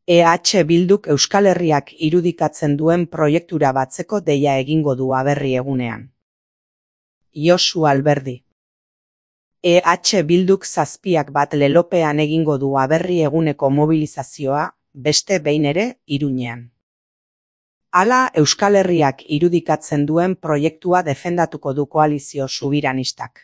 Bilduk Euskal Herriak irudikatzen duen proiektura batzeko deia egingo du aberri egunean. Josu Alberdi. Bilduk 7 lelopean egingo du aberri eguneko mobilizazioa, beste behin ere, Iruñean. Hala Euskal Herriak irudikatzen duen proiektua defendatuko du koalizio subiranistak.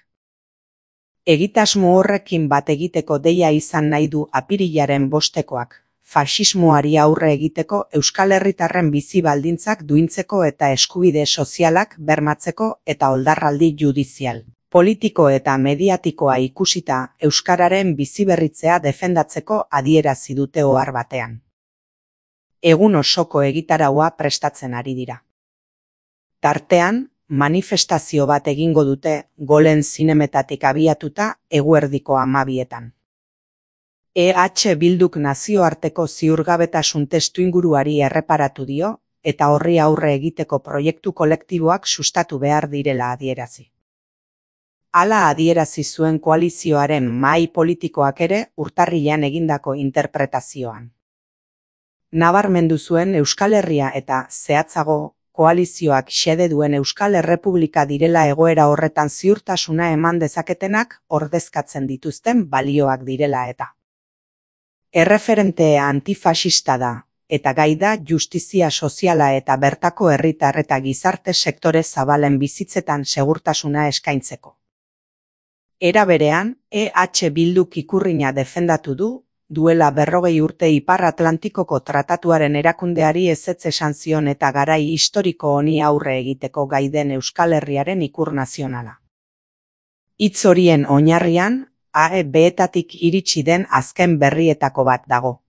Egitasmo horrekin bat egiteko deia izan nahi du apirilaren 5-koak, faxismoari aurre egiteko Euskal Herritarren bizi baldintzak duintzeko eta eskubide sozialak bermatzeko eta oldarraldi judizial, politiko eta mediatikoa ikusita euskararen biziberritzea defendatzeko adierazi dute ohar batean. Egun osoko egitaraua prestatzen ari dira. Tartean, manifestazio bat egingo dute Golen zinemetatik abiatuta eguerdiko 12etan. Bilduk nazioarteko ziurgabetasun testuinguruari erreparatu dio eta horri aurre egiteko proiektu kolektiboak sustatu behar direla adierazi. Hala adierazi zuen koalizioaren mahai politikoak ere urtarrilean egindako interpretazioan. Nabarmendu zuen Euskal Herria eta, zehatzago, koalizioak xede duen Euskal Errepublika direla egoera horretan ziurtasuna eman dezaketenak ordezkatzen dituzten balioak direla eta. Erreferente antifaxista da, eta gai da justizia soziala eta bertako herritar eta gizarte sektore zabalen bizitzetan segurtasuna eskaintzeko. Era berean, Bilduk ikurrina defendatu du, duela 40 urte Ipar Atlantikoko tratatuaren erakundeari ezetz esan zion eta garai historiko honi aurre egiteko gai den Euskal Herriaren ikur nazionala. Hitz horien oinarrian, AEB-etatik iritsi den azken berrietako bat dago.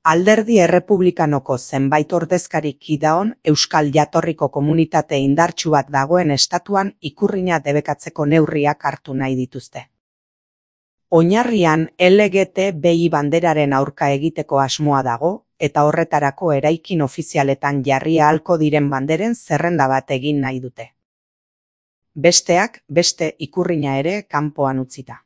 Alderdi Errepublikanoko zenbait ordezkarik kidaon Euskal jatorriko komunitate indartsu bat dagoen estatuan ikurrina debekatzeko neurriak hartu nahi dituzte. Oinarrian LGTBI banderaren aurka egiteko asmoa dago eta horretarako eraikin ofizialetan jarri ahalko diren banderen zerrenda bat egin nahi dute. Besteak beste ikurrina ere kanpoan utzita.